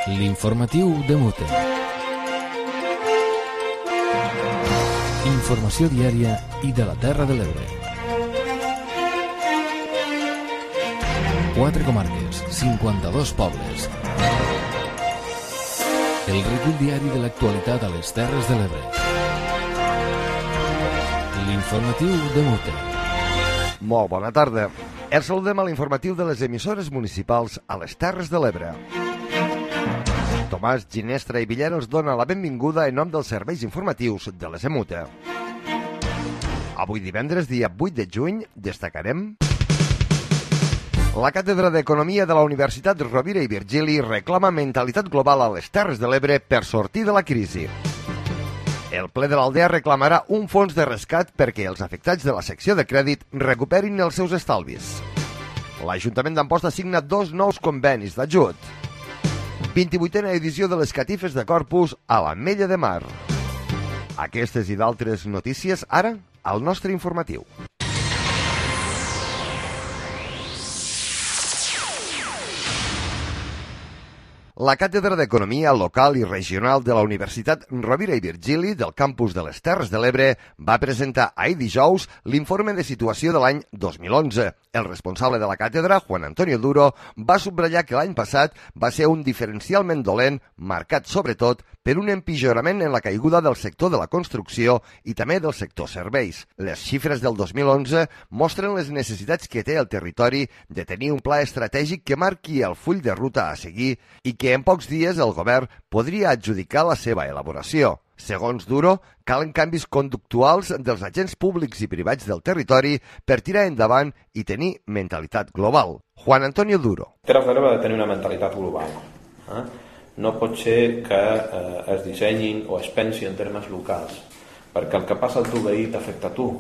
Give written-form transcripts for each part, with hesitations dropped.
L'informatiu de Mute. Informació diària i de la Terra de l'Ebre. 4 comarques, 52 pobles. El recull diari de l'actualitat a les Terres de l'Ebre. L'informatiu de Mute. Molt bona tarda. Els saludem a l'informatiu de les emissores municipals a les Terres de l'Ebre. Tomàs Ginestra i Villar els dona la benvinguda en nom dels serveis informatius de les EMUTE. Avui divendres, dia 8 de juny, destacarem... La Càtedra d'Economia de la Universitat Rovira i Virgili reclama mentalitat global a les Terres de l'Ebre per sortir de la crisi. El ple de l'Aldea reclamarà un fons de rescat perquè els afectats de la secció de crèdit recuperin els seus estalvis. L'Ajuntament d'Amposta signa 2 nous convenis d'ajut. 28a edició de les catifes de Corpus a l'Ametlla de Mar. Aquestes i d'altres notícies ara al nostre informatiu. La Càtedra d'Economia Local i Regional de la Universitat Rovira i Virgili del campus de les Terres de l'Ebre va presentar ahir dijous l'informe de situació de l'any 2011. El responsable de la càtedra, Juan Antonio Duro, va subratllar que l'any passat va ser un diferencialment dolent, marcat sobretot per un empitjorament en la caiguda del sector de la construcció i també del sector serveis. Les xifres del 2011 mostren les necessitats que té el territori de tenir un pla estratègic que marqui el full de ruta a seguir i que en pocs dies el govern podria adjudicar la seva elaboració. Segons Duro, calen canvis conductuals dels agents públics i privats del territori per tirar endavant i tenir mentalitat global. Juan Antonio Duro. Terres de l'Ebre ha de tenir una mentalitat global. No pot ser que es dissenyin o es pensi en termes locals, perquè el que passa al teu veí t'afecta a tu,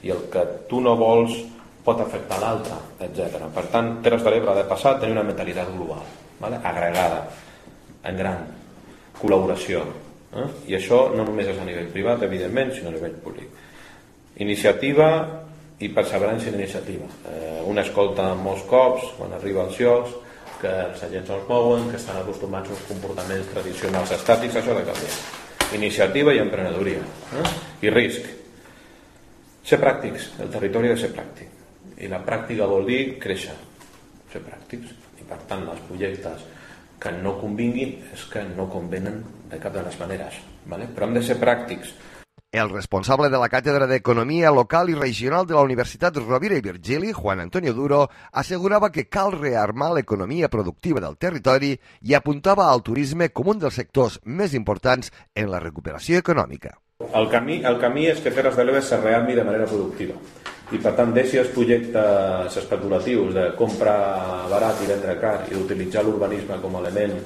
i el que tu no vols pot afectar l'altre, etc. Per tant, Terres de l'Ebre ha de passar a tenir una mentalitat global, agregada, en gran, col·laboració. I això no només és a nivell privat, evidentment, sinó a nivell públic. Iniciativa i perseverança en iniciativa. Un escolta molts cops, quan arriba als llocs, que els agents els mouen, que estan acostumats als comportaments tradicionals estàtics, això ha de canviar. Iniciativa i emprenedoria. I risc. Ser pràctics, el territori ha de ser pràctic. I la pràctica vol dir créixer, ser pràctics. I per tant, els projectes que no convinguin és que no convenen de cap de les maneres, però hem de ser pràctics. El responsable de la Càtedra d'Economia Local i Regional de la Universitat Rovira i Virgili, Juan Antonio Duro, assegurava que cal rearmar l'economia productiva del territori i apuntava al turisme com un dels sectors més importants en la recuperació econòmica. El camí és que Terres de l'Ebre se rearmi de manera productiva i per tant deixi els projectes especulatius de comprar barat i vendre car i d'utilitzar l'urbanisme com a element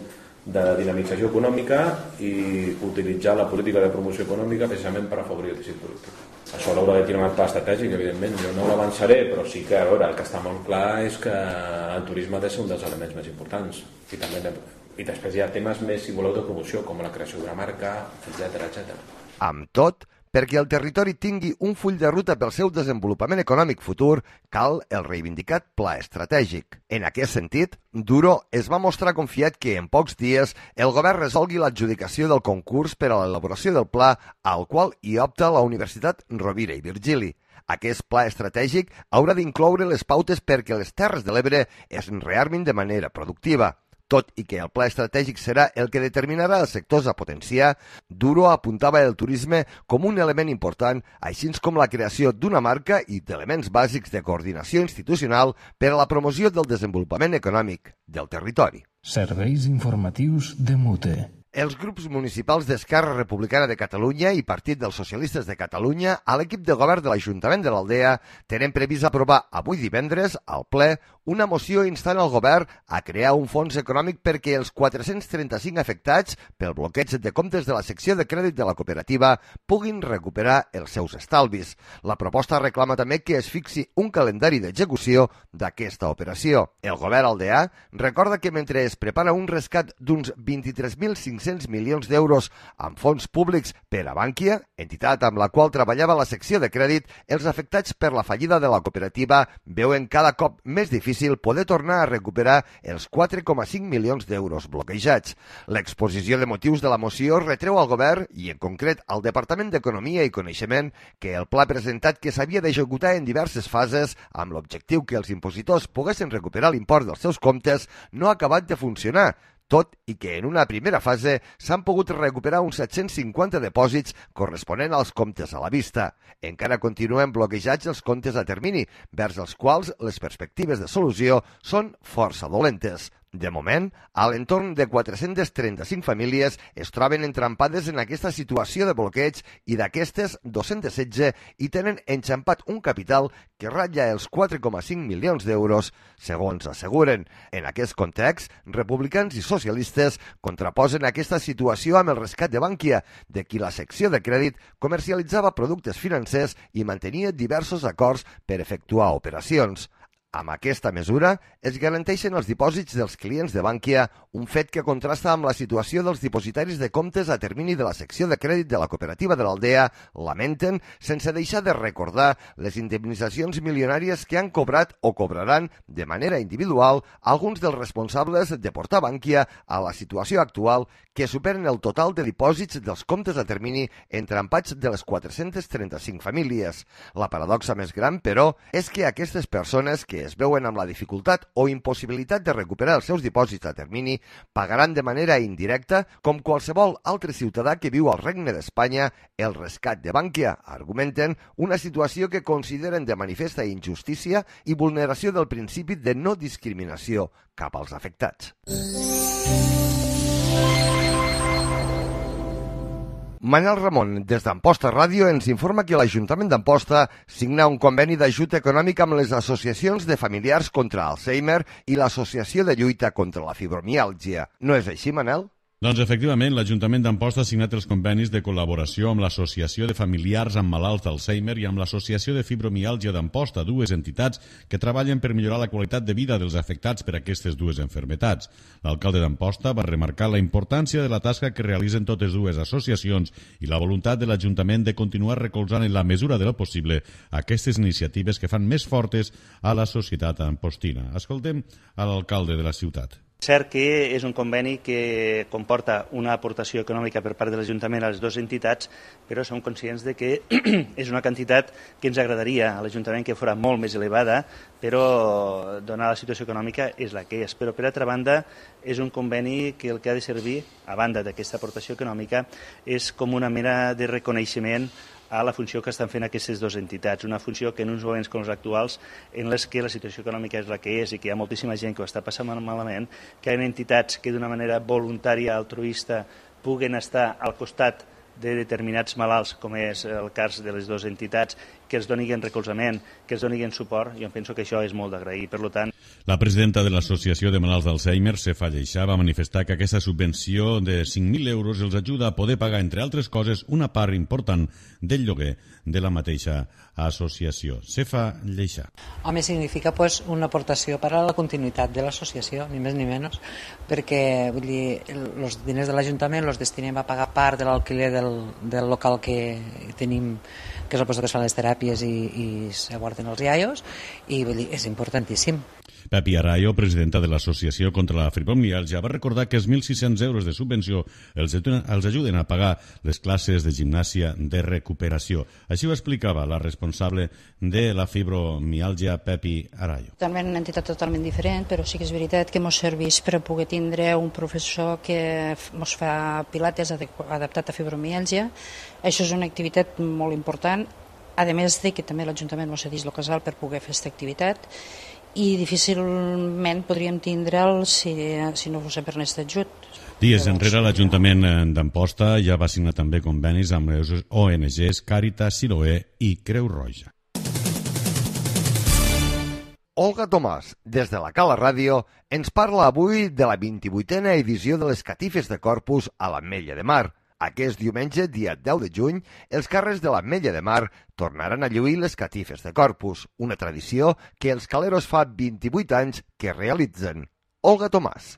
de dinamització econòmica i utilitzar la política de promoció econòmica precisament per afavorir el teixit productiu. Això l'haurà de tenir un pla estratègic, evidentment, jo no l'avançaré, però sí que el que està molt clar és que el turisme ha de ser un dels elements més importants i després hi ha temes més, si voleu, de promoció, com la creació d'una marca, etc. Amb tot, perquè el territori tingui un full de ruta pel seu desenvolupament econòmic futur, cal el reivindicat pla estratègic. En aquest sentit, Duro es va mostrar confiat que en pocs dies el govern resolgui l'adjudicació del concurs per a l'elaboració del pla al qual hi opta la Universitat Rovira i Virgili. Aquest pla estratègic haurà d'incloure les pautes perquè les Terres de l'Ebre es rearmin de manera productiva. Tot i que el pla estratègic serà el que determinarà els sectors a potenciar, Duro apuntava el turisme com un element important, així com la creació d'una marca i d'elements bàsics de coordinació institucional per a la promoció del desenvolupament econòmic del territori. Serveis informatius de Mute. Els grups municipals d'Esquerra Republicana de Catalunya i Partit dels Socialistes de Catalunya a l'equip de govern de l'Ajuntament de l'Aldea tenen previst aprovar avui divendres al ple una moció instant al govern a crear un fons econòmic perquè els 435 afectats pel bloqueig de comptes de la secció de crèdit de la cooperativa puguin recuperar els seus estalvis. La proposta reclama també que es fixi un calendari d'execució d'aquesta operació. El govern aldeà recorda que mentre es prepara un rescat d'uns 23.500 500 milions d'euros amb fons públics per a Bankia, entitat amb la qual treballava la secció de crèdit, els afectats per la fallida de la cooperativa veuen cada cop més difícil poder tornar a recuperar els 4,5 milions d'euros bloquejats. L'exposició de motius de la moció retreu al govern i, en concret, al Departament d'Economia i Coneixement que el pla presentat que s'havia d'executar en diverses fases amb l'objectiu que els impositors poguessin recuperar l'import dels seus comptes no ha acabat de funcionar, tot i que en una primera fase s'han pogut recuperar uns 750 depòsits corresponent als comptes a la vista. Encara continuen bloquejats els comptes a termini, vers els quals les perspectives de solució són força dolentes. De moment, a l'entorn de 435 famílies es troben entrampades en aquesta situació de bloqueig i d'aquestes 216 hi tenen enxampat un capital que ratlla els 4,5 milions d'euros, segons asseguren. En aquest context, republicans i socialistes contraposen aquesta situació amb el rescat de Bankia, de qui la secció de crèdit comercialitzava productes financers i mantenia diversos acords per efectuar operacions. Amb aquesta mesura es garanteixen els dipòsits dels clients de Bankia, un fet que contrasta amb la situació dels dipositaris de comptes a termini de la secció de crèdit de la cooperativa de l'Aldea, lamenten, sense deixar de recordar les indemnitzacions milionàries que han cobrat o cobraran de manera individual alguns dels responsables de portar Bankia a la situació actual, que superen el total de dipòsits dels comptes a termini entrampats de les 435 famílies. La paradoxa més gran, però, és que aquestes persones que es veuen amb la dificultat o impossibilitat de recuperar els seus dipòsits a termini pagaran de manera indirecta, com qualsevol altre ciutadà que viu al Regne d'Espanya, el rescat de Bankia. Argumenten una situació que consideren de manifesta injustícia i vulneració del principi de no discriminació cap als afectats. Manel Ramon, des d'Amposta Ràdio, ens informa que l'Ajuntament d'Amposta signa un conveni d'ajut econòmic amb les associacions de familiars contra Alzheimer i l'Associació de Lluita contra la Fibromiàlgia. No és així, Manel? Doncs efectivament, l'Ajuntament d'Amposta ha signat els convenis de col·laboració amb l'Associació de Familiars amb Malalts d'Alzheimer i amb l'Associació de Fibromiàlgia d'Amposta, dues entitats que treballen per millorar la qualitat de vida dels afectats per aquestes dues malalties. L'alcalde d'Amposta va remarcar la importància de la tasca que realitzen totes dues associacions i la voluntat de l'Ajuntament de continuar recolzant en la mesura de lo possible aquestes iniciatives que fan més fortes a la societat ampostina. Escoltem a l'alcalde de la ciutat. Cert que és un conveni que comporta una aportació econòmica per part de l'Ajuntament a les dues entitats, però som conscients de que és una quantitat que ens agradaria a l'Ajuntament que fos molt més elevada, però donada la situació econòmica és la que és. Però per altra banda és un conveni que el que ha de servir, a banda d'aquesta aportació econòmica, és com una mena de reconeixement a la funció que estan fent aquestes dues entitats, una funció que en uns moments com els actuals, en les que la situació econòmica és la que és i que hi ha moltíssima gent que ho està passant malament, que hi ha entitats que d'una manera voluntària, altruista, puguen estar al costat de determinats malalts, com és el cas de les dues entitats, que els donin recolzament, que els donin suport, jo penso que això és molt d'agrair. Per tant, la presidenta de l'Associació de Malalts d'Alzheimer, Cefa Lleixà, va manifestar que aquesta subvenció de 5.000 euros els ajuda a poder pagar, entre altres coses, una part important del lloguer de la mateixa associació. Cefa Lleixà. Home, significa una aportació per a la continuïtat de l'associació, ni més ni menys, perquè vull dir, els diners de l'Ajuntament els destinem a pagar part de l'alquiler del local que tenim, que és el lloc que es fan les teràpies i s'aguarden els iaios, i vull dir, és importantíssim. Pepi Arayo, presidenta de l'Associació contra la Fibromiàlgia, va recordar que els 1.600 euros de subvenció els ajuden a pagar les classes de gimnàsia de recuperació. Així ho explicava la responsable de la fibromiàlgia, Pepi Arayo. També una entitat totalment diferent, però sí que és veritat que ens serveix per poder tindre un professor que ens fa pilates adaptat a fibromiàlgia. Això és una activitat molt important, a més de que també l'Ajuntament ens cedeix el casal per poder fer aquesta activitat, i difícilment podríem tindre'l si no fos per aquest ajut. Dies enrere, l'Ajuntament d'Amposta ja va signar també convenis amb les ONGs Càritas, Siloé i Creu Roja. Olga Tomàs, des de la Cala Ràdio, ens parla avui de la 28a edició de les catifes de Corpus a l'Ametlla de Mar. Aquest diumenge, dia 10 de juny, els carrers de l'Ametlla de Mar tornaran a lluir les catifes de Corpus, una tradició que els caleros fa 28 anys que realitzen. Olga Tomàs.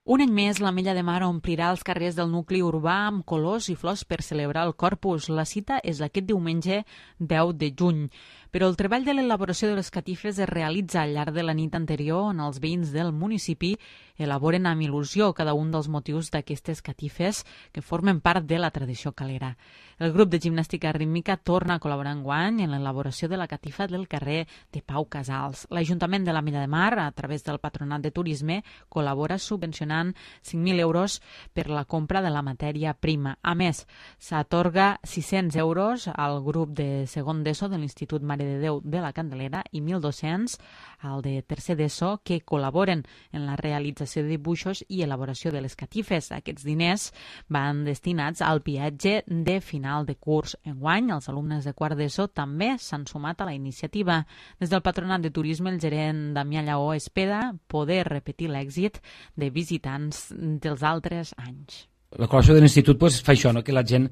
Un any més, l'Ametlla de Mar omplirà els carrers del nucli urbà amb colors i flors per celebrar el Corpus. La cita és aquest diumenge 10 de juny. Però el treball de l'elaboració de les catifes es realitza al llarg de la nit anterior, on els veïns del municipi elaboren amb il·lusió cada un dels motius d'aquestes catifes que formen part de la tradició calera. El grup de gimnàstica rítmica torna a col·laborar enguany en l'elaboració de la catifa del carrer de Pau Casals. L'Ajuntament de l'Ametlla de Mar, a través del Patronat de Turisme, col·labora subvencionant 5.000 euros per la compra de la matèria prima. A més, s'atorga 600 euros al grup de segon d'ESO de l'Institut Mare de Déu de la Candelera i 1.200 al de tercer d'ESO que col·laboren en la realització de dibuixos i elaboració de les catifes. Aquests diners van destinats al viatge de final de curs. Enguany, els alumnes de quart d'ESO també s'han sumat a la iniciativa. Des del Patronat de Turisme, el gerent Damià Lleó espera poder repetir l'èxit de visitants dels altres anys. La col·laboració de l'institut fa això, que la gent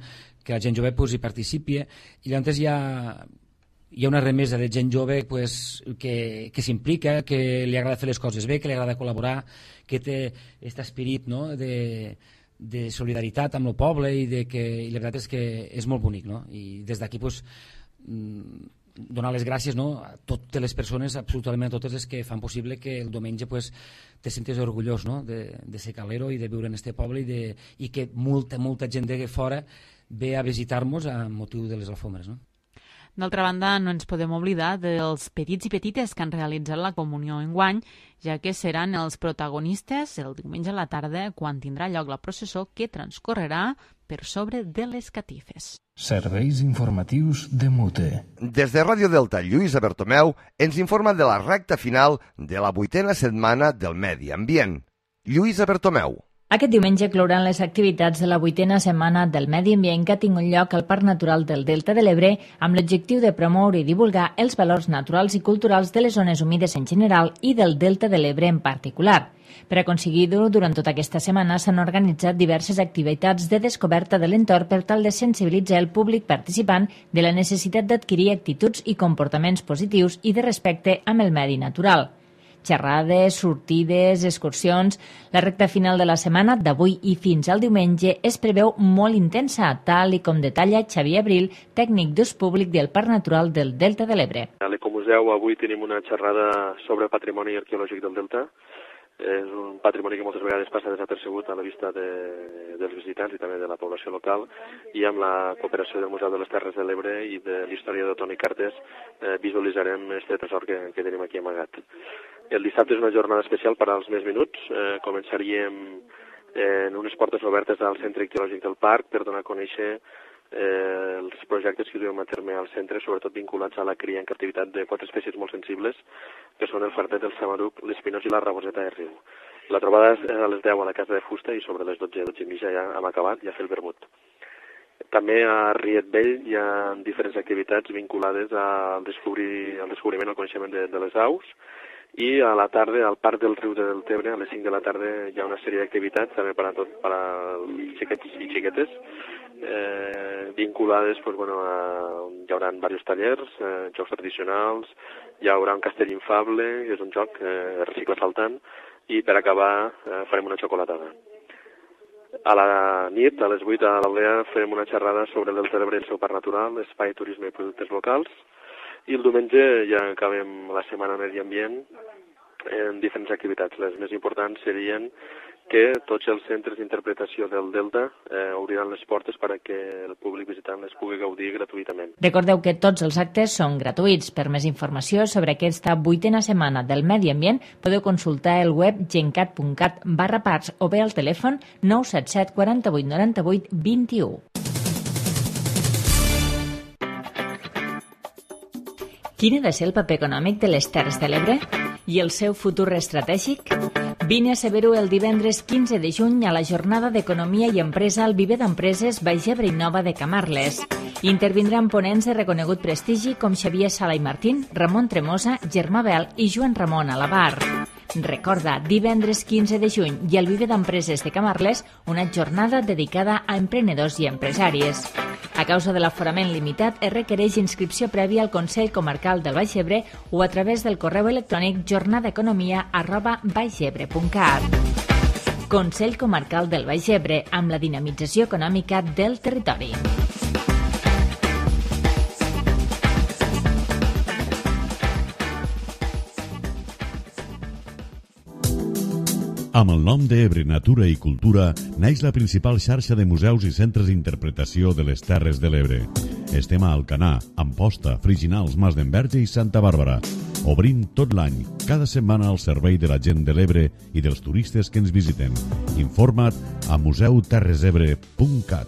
jove hi participi, i llavors hi ha una remesa de gent jove que s'implica, que li agrada fer les coses bé, que li agrada col·laborar, que té aquest esperit de solidaritat amb el poble i la veritat és que és molt bonic. I des d'aquí donar les gràcies a totes les persones, absolutament a totes les que fan possible que el diumenge te sentis orgullós de ser calero i de viure en este poble i que molta gent de fora ve a visitar-nos amb motiu de les alfombres. D'altra banda, no ens podem oblidar dels petits i petites que han realitzat la comunió enguany, ja que seran els protagonistes el diumenge a la tarda quan tindrà lloc la processó que transcorrerà per sobre de les catifes. Serveis informatius de Mute. Des de Ràdio Delta, Lluïsa Bertomeu ens informa de la recta final de la 8a setmana del Medi Ambient. Lluïsa Bertomeu. Aquest diumenge clouran les activitats de la 8a setmana del Medi Ambient que ha tingut lloc al Parc Natural del Delta de l'Ebre amb l'objectiu de promoure i divulgar els valors naturals i culturals de les zones humides en general i del Delta de l'Ebre en particular. Per aconseguir-ho, durant tota aquesta setmana s'han organitzat diverses activitats de descoberta de l'entorn per tal de sensibilitzar el públic participant de la necessitat d'adquirir actituds i comportaments positius i de respecte amb el medi natural. Xerrades, sortides, excursions... La recta final de la setmana, d'avui i fins al diumenge, es preveu molt intensa, tal i com detalla Xavier Abril, tècnic d'ús públic del Parc Natural del Delta de l'Ebre. A l'Ecomuseu avui tenim una xerrada sobre patrimoni arqueològic del Delta. És un patrimoni que moltes vegades passa desapercebut a la vista dels visitants i també de la població local, i amb la cooperació del Museu de les Terres de l'Ebre i de l'historiador Toni Cartes visualitzarem aquest tresor que tenim aquí amagat. El dissabte és una jornada especial per als més minuts. Començaríem en unes portes obertes al Centre Ictiològic del Parc per donar a conèixer els projectes que duem a terme al centre, sobretot vinculats a la cria en captivitat de 4 espècies molt sensibles, que són el fardet, el samaruc, l'espinós i la raboseta de riu. La trobada és a les 10 a la Casa de Fusta i sobre les 12 i mitja ja hem acabat i a fer el vermut. També a Riet Vell hi ha diferents activitats vinculades al descobriment, al coneixement de les aus, i a la tarda al Parc del Riu del Tebre, a les 5 de la tarda, hi ha una sèrie d'activitats també per als xiquets i xiquetes, vinculades, hi haurà diversos tallers, jocs tradicionals, hi haurà un castell infable, que és un joc recicle saltant, i per acabar farem una xocolatada. A la nit, a les 8 a l'Aldea, farem una xerrada sobre el Delta de l'Ebre i el seu parc natural, espai, turisme i productes locals, i el diumenge ja acabem la setmana Medi Ambient en diferents activitats. Les més importants serien que tots els centres d'interpretació del Delta obriran les portes perquè el públic visitant les pugui gaudir gratuïtament. Recordeu que tots els actes són gratuïts. Per més informació sobre aquesta 8a setmana del Medi Ambient podeu consultar el web gencat.cat/parcs o bé al telèfon 977 48 98 21. Quin ha de ser el paper econòmic de les Terres de l'Ebre i el seu futur estratègic? Vine a saber-ho el divendres 15 de juny a la jornada d'Economia i Empresa al Viver d'Empreses Baix Ebre i Nova de Camarles. Intervindran ponents de reconegut prestigi com Xavier Sala i Martín, Ramon Tremosa, Germà Bel i Joan Ramon Alabar. Recorda, divendres 15 de juny i al Viver d'Empreses de Camarles, una jornada dedicada a emprenedors i empresàries. A causa de l'aforament limitat, es requereix inscripció prèvia al Consell Comarcal del Baix Ebre o a través del correu electrònic jornadaeconomia@baixebre.cat. Consell Comarcal del Baix Ebre, amb la dinamització econòmica del territori. Amb el nom d'Ebre Natura i Cultura naix la principal xarxa de museus i centres d'interpretació de les Terres de l'Ebre. Estem a Alcanar, Amposta, Friginals, Mas d'Enverge i Santa Bàrbara. Obrint tot l'any, cada setmana al servei de la gent de l'Ebre i dels turistes que ens visiten. Informa't a museuterresebre.cat.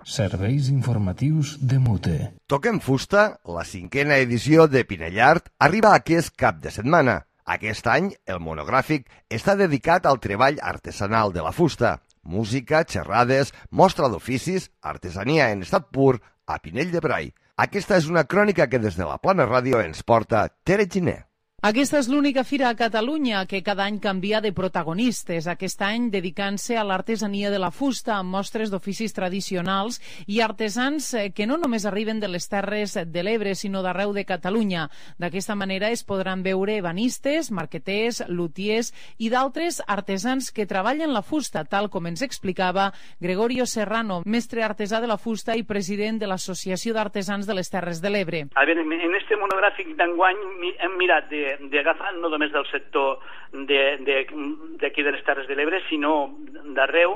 Serveis informatius de Mute. Toquem fusta, la 5a edició de Pinellart arriba aquest cap de setmana. Aquest any, el monogràfic està dedicat al treball artesanal de la fusta. Música, xerrades, mostra d'oficis, artesania en estat pur a Pinell de Brai. Aquesta és una crònica que des de la Plana Ràdio ens porta Tere Giner. Aquesta és l'única fira a Catalunya que cada any canvia de protagonistes. Aquest any dedicant-se a l'artesania de la fusta amb mostres d'oficis tradicionals i artesans que no només arriben de les Terres de l'Ebre, sinó d'arreu de Catalunya. D'aquesta manera es podran veure ebanistes, marqueters, lutiers i d'altres artesans que treballen la fusta, tal com ens explicava Gregorio Serrano, mestre artesà de la fusta i president de l'Associació d'Artesans de les Terres de l'Ebre. A veure, en este monogràfic d'enguany hem mirat d'agafar no només del sector d'aquí de les Terres de l'Ebre, sinó d'arreu,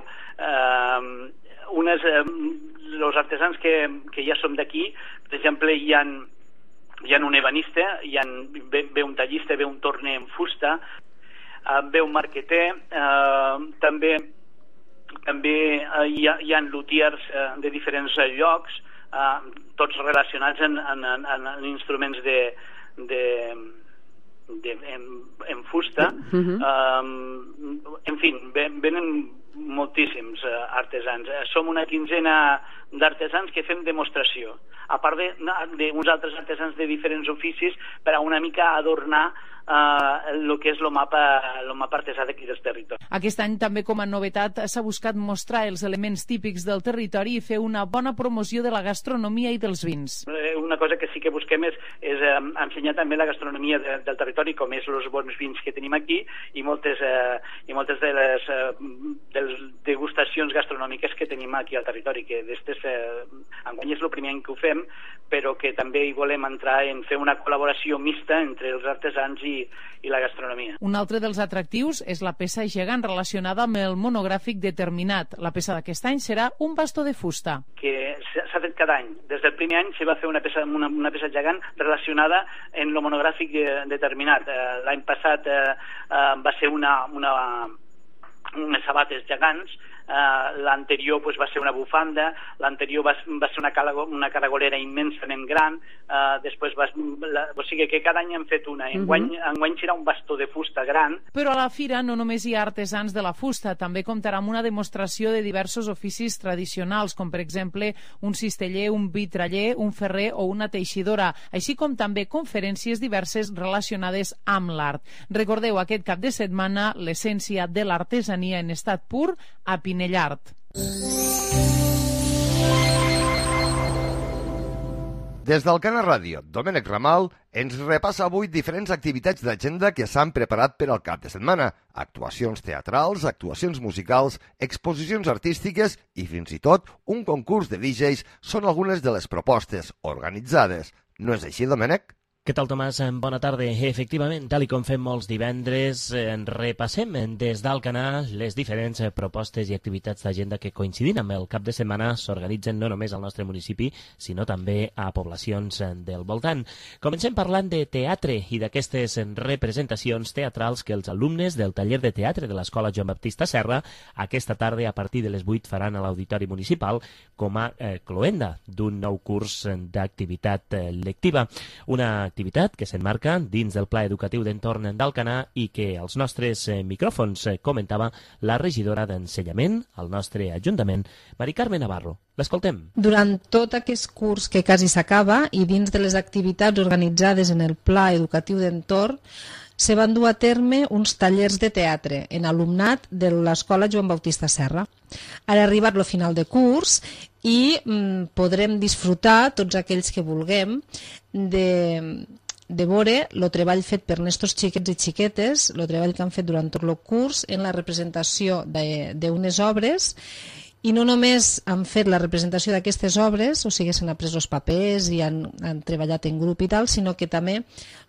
els artesans que ja som d'aquí. Per exemple, hi ha un ebanista, ve un tallista, ve un torner en fusta, ve un marqueter, també hi ha lutiers de diferents llocs, tots relacionats en instruments en fusta. En fi, venen moltíssims artesans. Som una quinzena d'artesans que fem demostració, a part d'uns altres artesans de diferents oficis per a una mica adornar el que és el mapa artesà d'aquí del territori. Aquest any també com a novetat s'ha buscat mostrar els elements típics del territori i fer una bona promoció de la gastronomia i dels vins. Una cosa que sí que busquem és ensenyar també la gastronomia del territori, com és els bons vins que tenim aquí i moltes de les degustacions gastronòmiques que tenim aquí al territori, que enguany és el primer any que ho fem, però que també hi volem entrar en fer una col·laboració mixta entre els artesans i la gastronomia. Un altre dels atractius és la peça gegant relacionada amb el monogràfic determinat. La peça d'aquest any serà un bastó de fusta. Que s'ha fet cada any. Des del primer any se va fer una peça gegant relacionada en el monogràfic determinat. L'any passat va ser unes sabates gegants, l'anterior va ser una bufanda, l'anterior va ser una caragolera immensament gran, després o sigui que cada any hem fet una. Enguany serà un bastó de fusta gran. Però a la fira no només hi ha artesans de la fusta, també comptarà amb una demostració de diversos oficis tradicionals, com per exemple un cisteller, un vitraller, un ferrer o una teixidora, així com també conferències diverses relacionades amb l'art. Recordeu aquest cap de setmana l'essència de l'artesania en estat pur a Pinellart. Des d'Alcanar Ràdio, Domènec Ramal ens repassa avui diferents activitats d'agenda que s'han preparat per al cap de setmana. Actuacions teatrals, actuacions musicals, exposicions artístiques i fins i tot un concurs de DJs són algunes de les propostes organitzades. No és així, Domènec? Què tal, Tomàs? Bona tarda. Efectivament, tal com fem molts divendres, repassem des d'Alcanar les diferents propostes i activitats d'agenda que coincidint amb el cap de setmana s'organitzen no només al nostre municipi, sinó també a poblacions del voltant. Comencem parlant de teatre i d'aquestes representacions teatrals que els alumnes del taller de teatre de l'Escola Joan Baptista Serra aquesta tarda a partir de les 8 faran a l'Auditori Municipal com a cloenda d'un nou curs d'activitat lectiva. Una activitat que s'enmarca dins del Pla Educatiu d'Entorn d'Alcanar i que als nostres micròfons comentava la regidora d'Ensenyament al nostre Ajuntament, Mari Carme Navarro. L'escoltem. Durant tot aquest curs que quasi s'acaba i dins de les activitats organitzades en el Pla Educatiu d'Entorn se van dur a terme uns tallers de teatre en alumnat de l'Escola Joan Baptista Serra. Ara ha arribat el final de curs i podrem disfrutar, tots aquells que vulguem, de veure el treball fet per estos xiquets i xiquetes, el treball que han fet durant tot el curs en la representació d'unes obres. I no només han fet la representació d'aquestes obres, o sigui, s'han après els papers i han treballat en grup i tal, sinó que també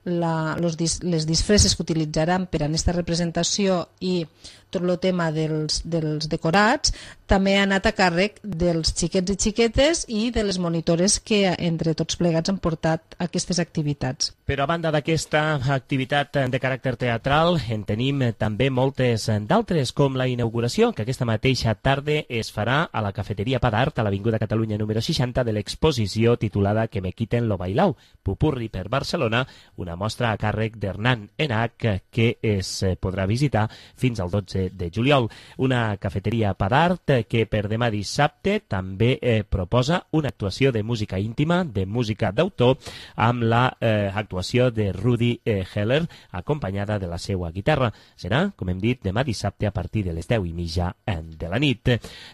les disfresses que utilitzaran per a aquesta representació i tot el tema dels decorats també ha anat a càrrec dels xiquets i xiquetes i de les monitores que entre tots plegats han portat aquestes activitats. Però a banda d'aquesta activitat de caràcter teatral, en tenim també moltes d'altres, com la inauguració, que aquesta mateixa tarda es farà a la cafeteria Padart, a l'Avinguda Catalunya número 60, de l'exposició titulada Que me quiten lo bailao, Pupurri per Barcelona, una mostra a càrrec d'Hernán Enach que es podrà visitar fins al 12 de juliol. Una cafeteria Padart que per demà dissabte també proposa una actuació de música íntima, de música d'autor, amb l'actuació de Rudi Heller, acompanyada de la seva guitarra. Serà, com hem dit, demà dissabte a partir de les 10:30 de la nit.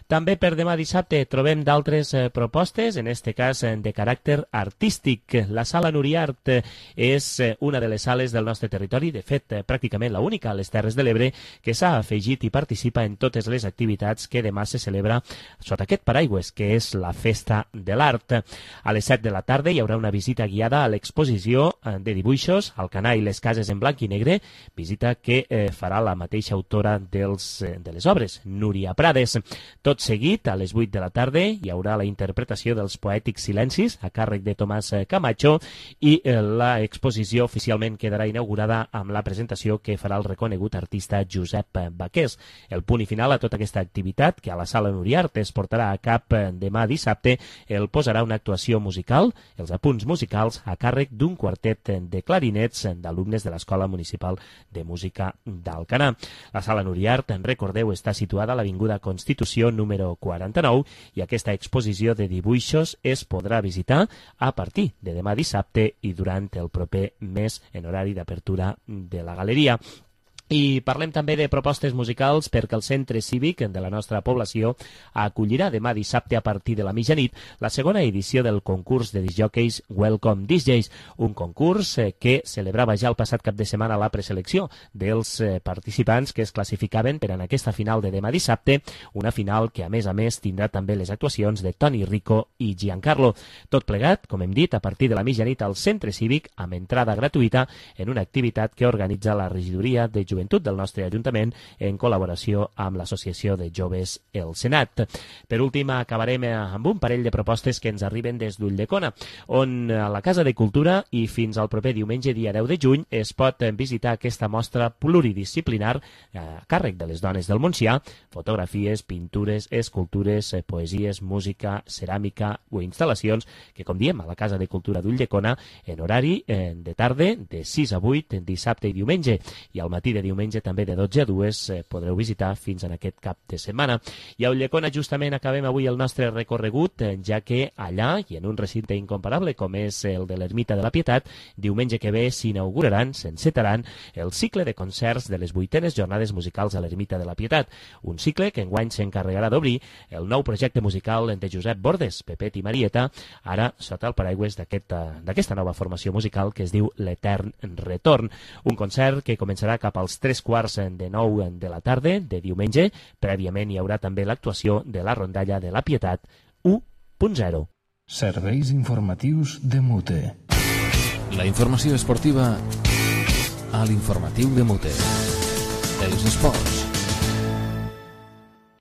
També per demà dissabte trobem d'altres propostes, en este cas de caràcter artístic. La Sala Nuriart és una de les sales del nostre territori, de fet, pràcticament l'única a les Terres de l'Ebre, que s'ha afegit i participa en totes les activitats que demà se celebra sota aquest paraigües, que és la Festa de l'Art. A les 7 de la tarda hi haurà una visita guiada a l'exposició de dibuixos Alcanar i les cases en blanc i negre, visita que farà la mateixa autora de les obres, Núria Prades. Tot seguit, a les 8 de la tarda, hi haurà la interpretació dels poètics silencis a càrrec de Tomàs Camacho i l'exposició oficialment quedarà inaugurada amb la presentació que farà el reconegut artista Josep Baqués. El punt i final a tota aquesta activitat, que a la Sala Nuriart es portarà a cap demà dissabte, el posarà una actuació musical, els apunts musicals a càrrec d'un quartet de clarinets d'alumnes de l'Escola Municipal de Música d'Alcanar. La Sala Nuriart, recordeu, està situada a l'Avinguda Constitució número 49 i aquesta exposició de dibuixos es podrà visitar a partir de demà dissabte i durant el proper mes en horari d'apertura de la galeria. I parlem també de propostes musicals perquè el Centre Cívic de la nostra població acollirà demà dissabte a partir de la mitjanit la segona edició del concurs de discjòqueis Welcome DJs, un concurs que celebrava ja el passat cap de setmana la preselecció dels participants que es classificaven per en aquesta final de demà dissabte, una final que a més tindrà també les actuacions de Toni Rico i Giancarlo. Tot plegat, com hem dit, a partir de la mitjanit al Centre Cívic amb entrada gratuïta en una activitat que organitza la regidoria de Joventut del nostre Ajuntament en col·laboració amb l'Associació de Joves El Senat. Per últim, acabarem amb un parell de propostes que ens arriben des d'Ulldecona, on a la Casa de Cultura i fins al proper diumenge, dia 10 de juny, es pot visitar aquesta mostra pluridisciplinar a càrrec de les dones del Montsià, fotografies, pintures, escultures, poesies, música, ceràmica o instal·lacions que, com diem, a la Casa de Cultura d'Ulldecona en horari de tarda de 6 a 8, dissabte i diumenge, i al matí de diumenge també de 12 a 2 podreu visitar fins en aquest cap de setmana. I a Ulldecona justament acabem avui el nostre recorregut, ja que allà, i en un recinte incomparable com és el de l'Ermita de la Pietat, diumenge que ve s'encetaran el cicle de concerts de les 8enes jornades musicals a l'Ermita de la Pietat, un cicle que enguany s'encarregarà d'obrir el nou projecte musical de Josep Bordes, Pepet i Marieta, ara sota el paraigües d'aquesta nova formació musical que es diu l'Etern Retorn, un concert que començarà cap als 3:45 de la tarda de diumenge. Prèviament hi haurà també l'actuació de la rondalla de la Pietat 1.0. Serveis informatius de Mute. La informació esportiva a l'informatiu de Mute. Els esports.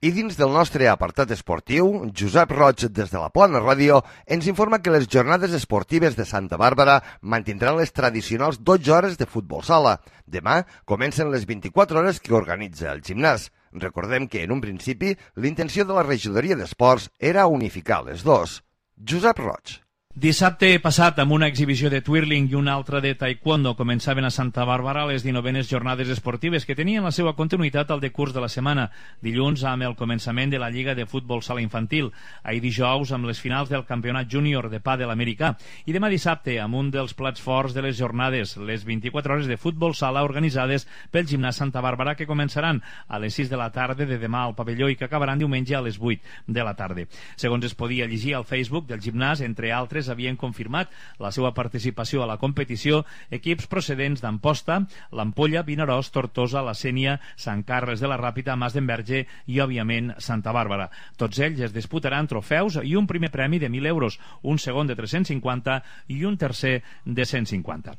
I dins del nostre apartat esportiu, Josep Roig, des de la Plana Ràdio, ens informa que les jornades esportives de Santa Bàrbara mantindran les tradicionals 12 hores de futbol sala. Demà comencen les 24 hores que organitza el gimnàs. Recordem que, en un principi, l'intenció de la regidoria d'esports era unificar les dos. Josep Roig. Dissabte passat, amb una exhibició de twirling i una altra de taekwondo, començaven a Santa Bàrbara les 19enes jornades esportives que tenien la seva continuïtat al decurs de la setmana. Dilluns, amb el començament de la Lliga de Futbol Sala Infantil. Ahir dijous, amb les finals del Campionat Júnior de Pàdel americà. I demà dissabte, amb un dels plats forts de les jornades, les 24 hores de futbol sala organitzades pel Gimnàs Santa Bàrbara, que començaran a les 6 de la tarda de demà al pavelló i que acabaran diumenge a les 8 de la tarda. Segons es podia llegir al Facebook del gimnàs, entre altres, joves havien confirmat la seva participació a la competició equips procedents d'Amposta, l'Ampolla, Vinaròs, Tortosa, la Sénia, Sant Carles de la Ràpita, Mas d'Enverge i, òbviament, Santa Bàrbara. Tots ells es disputaran trofeus i un primer premi de 1.000 euros, un segon de 350 i un tercer de 150.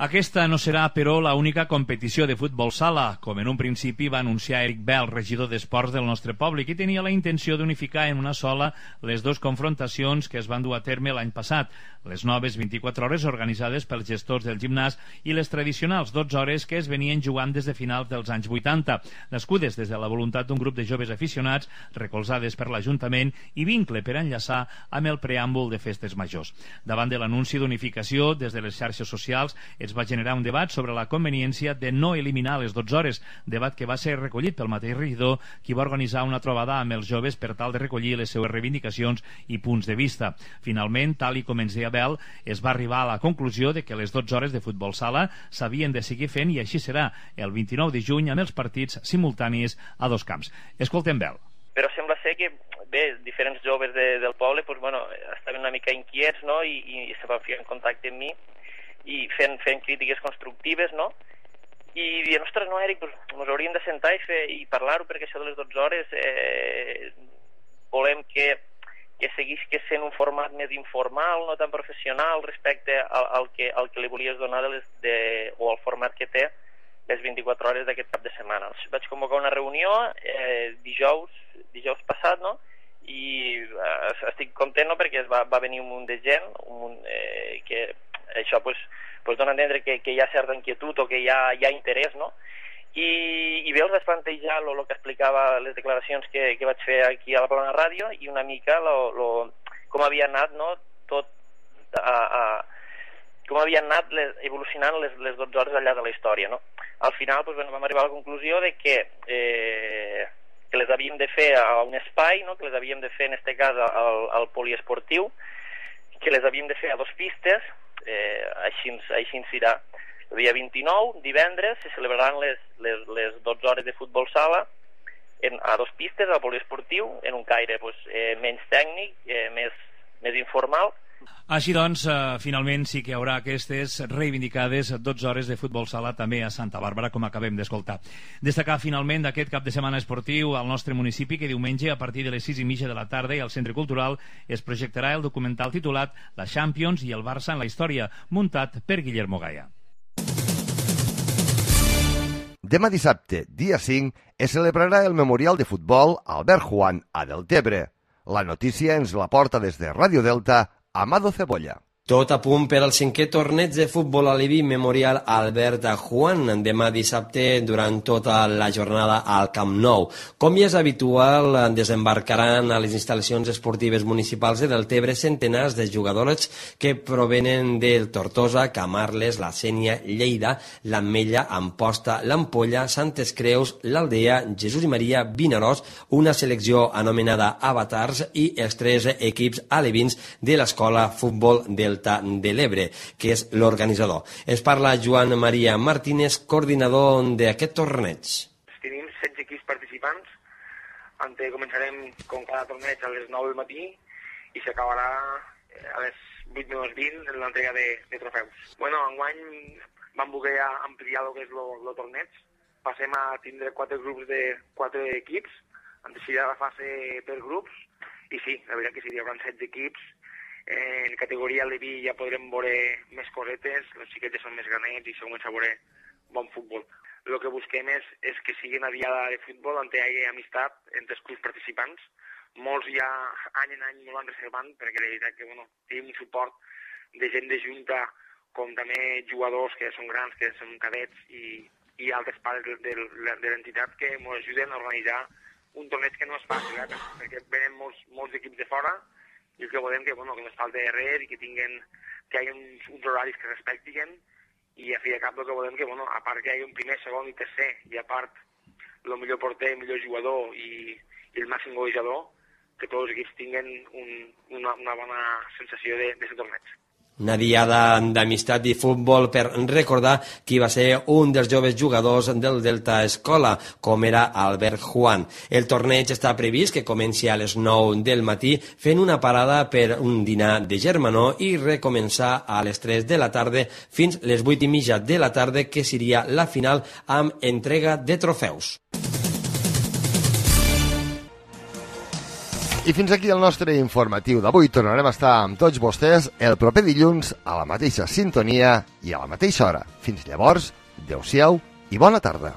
Aquesta no serà, però, l'única competició de futbol sala, com en un principi va anunciar Eric Bell, regidor d'Esports del nostre poble, que tenia la intenció d'unificar en una sola les dues confrontacions que es van dur a terme l'any passat, les noves 24 hores organitzades pels gestors del gimnàs i les tradicionals 12 hores que es venien jugant des de finals dels anys 80, nascudes des de la voluntat d'un grup de joves aficionats, recolzades per l'Ajuntament i vincle per enllaçar amb el preàmbul de festes majors. Davant de l'anunci d'unificació, des de les xarxes socials, es va generar un debat sobre la conveniència de no eliminar les 12 hores, debat que va ser recollit pel mateix regidor, qui va organitzar una trobada amb els joves per tal de recollir les seues reivindicacions i punts de vista. Finalment, tal i com ens deia Bel, es va arribar a la conclusió de que les 12 hores de futbol sala s'havien de seguir fent i així serà el 29 de juny amb els partits simultanis a dos camps. Escoltem Bel. Però sembla ser que, bé, diferents joves del poble estaven una mica inquiets, no? I se van ficar en contacte amb mi i fent crítiques constructives, no? I dient, ostres, no, Eric, ens hauríem de sentar i parlar-ho, perquè això de les 12 hores volem que seguís sent un format més informal, no tan professional, respecte al que li volies donar o al format que té les 24 hores d'aquest cap de setmana. Vaig convocar una reunió dijous passat, no? I estic content, no?, perquè va venir un munt de gent, que això dona a entendre que hi ha certa inquietud o que hi ha interès, no? I bé, els vaig plantejar el que explicava les declaracions que vaig fer aquí a la Plana Ràdio i una mica com havia anat, no?, tot com havien anat evolucionant les 12 hores al llarg de la història, no? Al final vam arribar a la conclusió de que les havíem de fer a un espai, no?, que les havíem de fer en aquest cas al poliesportiu, que les havíem de fer a 2 pistes, així serà. El dia 29, divendres, se celebraran les 12 hores de futbol sala a 2 pistes al poliesportiu, en un caire menys tècnic, més informal. Així doncs, finalment sí que hi haurà aquestes reivindicades 12 hores de futbol sala també a Santa Bàrbara, com acabem d'escoltar. Destacar finalment d'aquest cap de setmana esportiu al nostre municipi que diumenge a partir de les 6:30 de la tarda i al Centre Cultural es projectarà el documental titulat La Champions i el Barça en la història, muntat per Guillermo Gaia. Demà dissabte, dia 5, es celebrarà el Memorial de Futbol Albert Juan a Deltebre. La notícia ens la porta des de Ràdio Delta Amado Cebolla. Tot a punt per al 5è torneig de futbol aleví Memorial Albert Juan, demà dissabte durant tota la jornada al Camp Nou. Com ja és habitual, desembarcaran a les instal·lacions esportives municipals de Deltebre centenars de jugadors que provenen del Tortosa, Camarles, la Sénia, Lleida, l'Ametlla, Amposta, l'Ampolla, Santes Creus, l'Aldea, Jesús i Maria, Vinaròs, una selecció anomenada Avatars i els 3 equips alevins de l'Escola Futbol Delta de l'Ebre, que és l'organitzador. Es parla Joan Maria Martínez, coordinador d'aquest torneig. Tenim 16 equips participants, començarem com cada torneig a les 9 del matí i s'acabarà a les 8:20 en l'entrega de trofeus. Enguany vam voler ampliar el que és el torneig. Passem a tindre 4 grups de 4 equips, han decidit la fase per grups, i sí, la veritat que sí, hi haurà 16 equips. En categoria Leví ja podrem veure més cosetes, els xiquets ja són més granets i segons a veure bon futbol. El que busquem és que sigui una diada de futbol on hi hagi amistat entre els clubs participants. Molts ja any en any molt van reservant, perquè la veritat que tenim un suport de gent de junta, com també jugadors que són grans, que són cadets, i altres pares de l'entitat que ens ajuden a organitzar un torneig que no és fàcil, perquè venen molts equips de fora, i el que volem que no es falti res i que hi hagi uns horaris que respectin, i a fi de cap el que volem que, a part que hi hagi un primer, segon i tercer, i a part el millor porter, el millor jugador i el màxim golejador, que tots els equips tinguin una bona sensació de ser torneig. Una diada d'amistat i futbol per recordar qui va ser un dels joves jugadors del Delta Escola, com era Albert Juan. El torneig està previst que comenci a les 9 del matí fent una parada per un dinar de germanor i recomençar a les 3 de la tarda fins les 8:30 de la tarda, que seria la final amb entrega de trofeus. I fins aquí el nostre informatiu d'avui. Tornarem a estar amb tots vostès el proper dilluns a la mateixa sintonia i a la mateixa hora. Fins llavors, adeu-siau i bona tarda.